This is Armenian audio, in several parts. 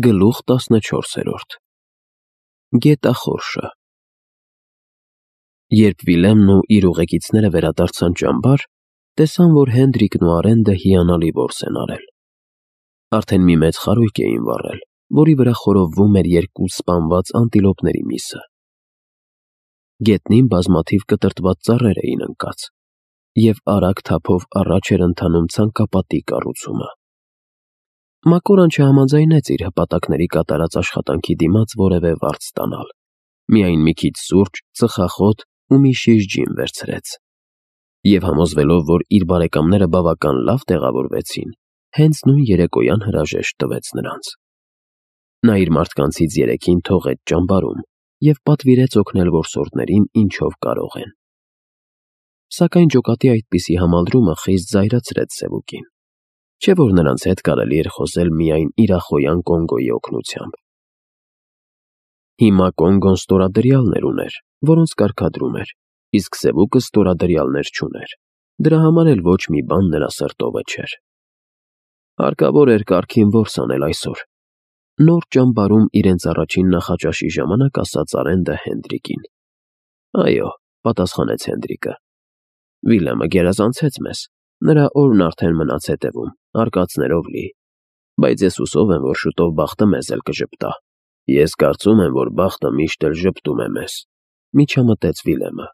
Գլուխ 14 Գետախորշը Երբ Վիլեմն ու իր ուղեկիցները վերադարձան ճամբար, տեսան, որ Հենդրիկն ու Արենդը հիանալի որս են արել։ Արդեն մի մեծ խարույկ էին վառել, որի վրա խորովվում էր երկու սպանված անտիլոպների միսը։ Գետնին բազմաթիվ կտրտված ծառեր էին ընկած, և արագ թափով առաջ էր ընթանում ցանկապատի կառուցումը։ Մակորան չհամաձայնեց իր հպատակների կատարած աշխատանքի դիմաց որևէ վարձ ստանալ, միայն մի քիչ սուրճ, ծխախոտ ու մի շիշ ջին վերցրեց, և համոզվելով, որ իր բարեկամները բավական լավ տեղավորվեցին, հենց նույն երեկոյան հրաժեշտ տվեց նրանց։ Նա իր մարդկանցից 3-ին թողեց ճամբարում և պատվիրեց օգնել որսորդներին ինչով կարող են։ Սակայն ջոկատի այդպիսի համալրումը խիստ զայրացրեց Սևուկին, չէ՞ որ նրանց հետ կարելի էր խոսել միայն իրախոյան Կոնգոյի օգնությամբ։ Հիմա Կոնգոն ստորադրյալներ ուներ, որոնց կարգադրում էր, իսկ Սևուկը ստորադրյալներ չուներ, դրա համար էլ ոչ մի բան նրա սրտովը չէր։ Հարկավոր էր կարգին որս անել այսօր, նոր ճամբարում իրենց առաջին նախաճաշի ժամանակ ասաց Արենդը Հենդրիկին։ Այո, պատասխանեց Հենդրիկը, Վիլեմը գերազանցեց մեզ, նրա օրն արդեն մնաց հետևում, արկածներով լի, բայց ես հուսով եմ, որ շուտով բախտը մեզ էլ կժպտա։ Ես կարծում եմ, որ բախտը միշտ էլ ժպտում է մեզ, միջամտեց Վիլեմը։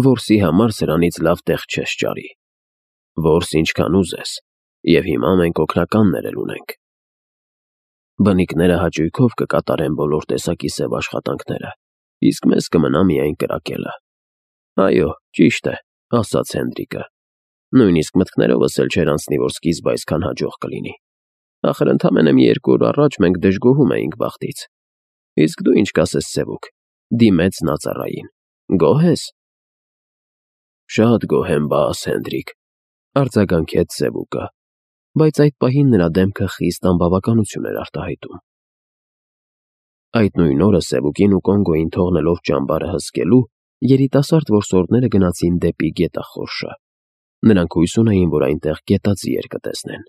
Որսի համար սրանից լավ տեղ չես ճարի։ Որս ինչքան ուզես, և հիմա մենք օգնականներ էլ ունենք։ Բնիկները հաճույքով կկատարեն բոլոր տեսակի սև աշխատանքները, իսկ մեզ կմնա միայն կրակելը։ Այո, ճիշտ է, ասաց Հենդրիկը։ Նույնիսկ մտքներովս էլ չէր անցնի, որ սկիզբը այսքան հաջող կլինի։ Ախր ընդամենը մի 2 օր առաջ մենք դժգոհում էինք բախտից։ Իսկ դու ինչ կասես, Սևուկ, դիմեց նա ծառային։ Գոհ ես։ Շատ գոհ եմ, բաս Հենդրիկ, արձագանքեց Սևուկը, բայց այդ պահին նրա դեմքը խիստ անբավականություն էր արտահայտում։ Այդ նույն օրը Սևուկին ու Կոնգոյին թողնելով ճամբարը հսկելու, երիտասարդ որսորդները գնացին դեպի գետախորշը։ Նրանք հույս ունեին, որ այնտեղ գետաձիեր կտեսնեն։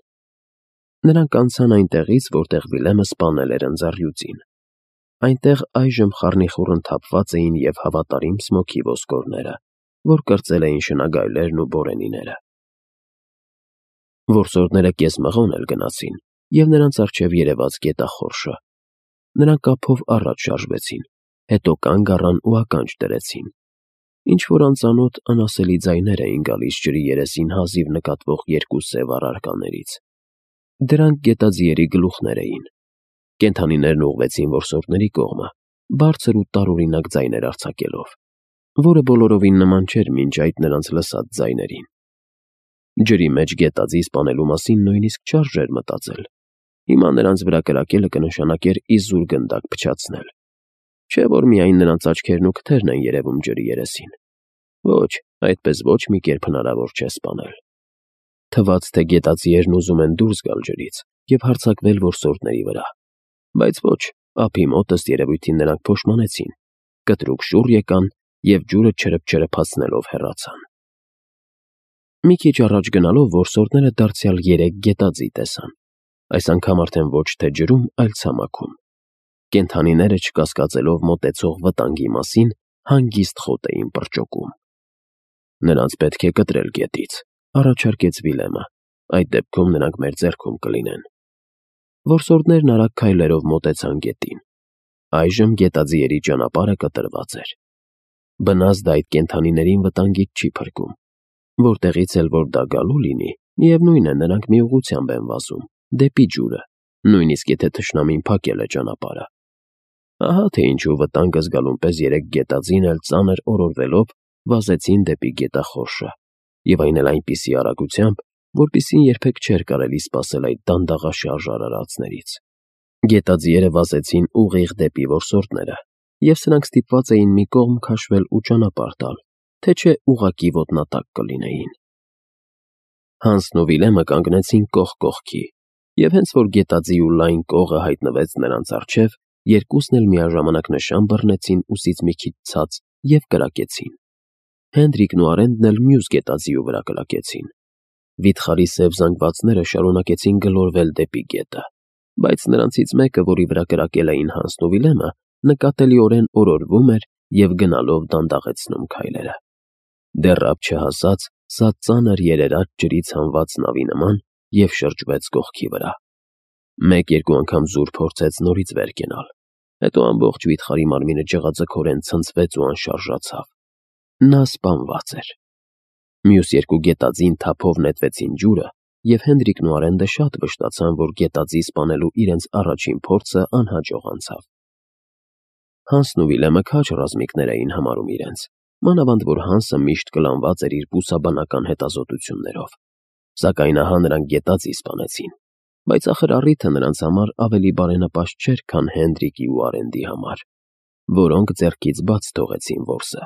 Նրանք անցան այնտեղից, որտեղ Վիլեմը սպանել էր ընձառյուծին։ Այնտեղ այժմ խառնիխուռն թափված էին և հավատարիմ Սմոքի ոսկորները, որ կրծել էին շնագայլերն ու բորենիները։ Որսորդները կեսմղոն էլ գնացին, և նրանց առջև երևաց գետախորշը։ Նրանք ափով առաջ շարժվեցին, հետո կանգ առան ու ականջ դրեցին։ Ինչ-որ անծանոթ անասելի ձայներ էին գալիս ջրի երեսին հազիվ նկատվող երկու սև առարկաներից։ Դրանք գետաձիերի գլուխներ էին։ Կենդանիներն ուղղվեցին որսորդների կողմը, բարձր ու տարօրինակ ձայներ արձակելով, որը բոլորովին նման չէր մինչ այդ նրանց լսած ձայներին։ Ջրի մեջ գետաձի սպանելու մասին նույնիսկ չարժեր մտածել։ Հիմա նրանց վրա կրակելը կնշանակեր իզուր գնդակ փչացնել։ Չէ՞ որ միայն նրանց աչքերն ու քթերն են երևում ջրի երեսին։ Ոչ, այդպես ոչ մի կերպ հնարավոր չէ սպանել։ Թվաց, թե գետաձիերն ուզում են դուրս գալ ջրից և հարձակվել որսորդների վրա։ Բայց ոչ, ափի մոտ ըստ երևույթին նրանք փոշմանեցին, կտրուկ շուռ եկան և ջուրը չրփչրփացնելով հեռացան։ Մի քիչ առաջ գնալով որսորդները դարձյալ 3 գետաձի տեսան, այս անգամ արդեն ոչ թե ջրում, այլ ցամաքում։ Կենդանիները, չկասկածելով մոտեցող վտանգի մասին, հանգիստ խոտ էին պրճոկում։ Նրանց պետք է կտրել գետից, առաջարկեց Վիլեմը, այդ դեպքում նրանք մեր ձեռքում կլինեն։ Որսորդներն արագ քայլերով մոտեցան գետին։ Այժմ գետաձիերի ճանապարհը կտրված էր։ Բնազդ այդ կենդանիներին վտանգից չի փրկում։ Որտեղից էլ որ դա գալու լինի, միևնույն է, նրանք մի ուղղությամբ են վազում, դեպի ջուրը, նույնիսկ եթե թշնամին փակել է ճանապարհը։ Ահա թե ինչու վտանգը զգալուն պես 3 գետաձին էլ ծանր օրորվելով վազեցին դեպի գետախորշը, և այն էլ այնպիսի արագությամբ, որպիսին երբեք չէր կարելի սպասել այդ դանդաղաշարժ արարածներից։ Գետաձիերը վազեցին ուղիղ դեպի որսորդները, և սրանք ստիպված էին մի կողմ քաշվել ու ճանապարհ տալ, թե չէ ուղղակի ոտնատակ կլինեին։ Հանսն ու Վիլեմը կանգնեցին կողք կողքի, և հենց որ գետաձի ու լայն կողը հայտնվեց նրանց առջև, երկուսն էլ միաժամանակ նշան բռնեցին ուսից մի քիչ ցած և կրակեցին։ Հենդրիկն ու Արենդն էլ մյուս գետաձիու վրա կրակեցին։ Վիթխարի սև զանգվածները շարունակեցին գլորվել դեպի գետը։ բայց նրանցից մեկը, որի վրա կրակել էին Հանսն ու Վիլյամը, նկատելիորեն օրորվում էր և գնալով դանդաղեցնում քայլերը։ Դեռ ապ չհասած, սա ծանր երերաց ջրից հանված նավի նման և շրջվեց կողքի վրա։ Մեկ-երկու անգամ զուր փորձեց նորից վեր կենալ, հետո ամբողջ վիթխարի մարմինը ջղաձգորեն ցնցվեց ու անշարժացավ։ Նա սպանված էր։ Մյուս երկու գետաձին թափով նետվեցին ջուրը, և Հենդրիկն ու Արենդը շատ վշտացան, որ գետաձի սպանելու իրենց առաջին փորձը անհաջող անցավ։ Հանսն ու Վիլյամը քաջ ռազմիկներ էին համարում իրենց, մանավանդ որ Հանսը միշտ կլանված էր իր բուսաբանական հետազոտություններով։ Սակայն ահա նրանք գետաձի սպանեցին, բայց ախր առիթը նրանց համար ավելի բարենպաստ չէր, քան Հենդրիկի ու Արենդի համար, որոնք ձեռքից բաց թողեցին որսը։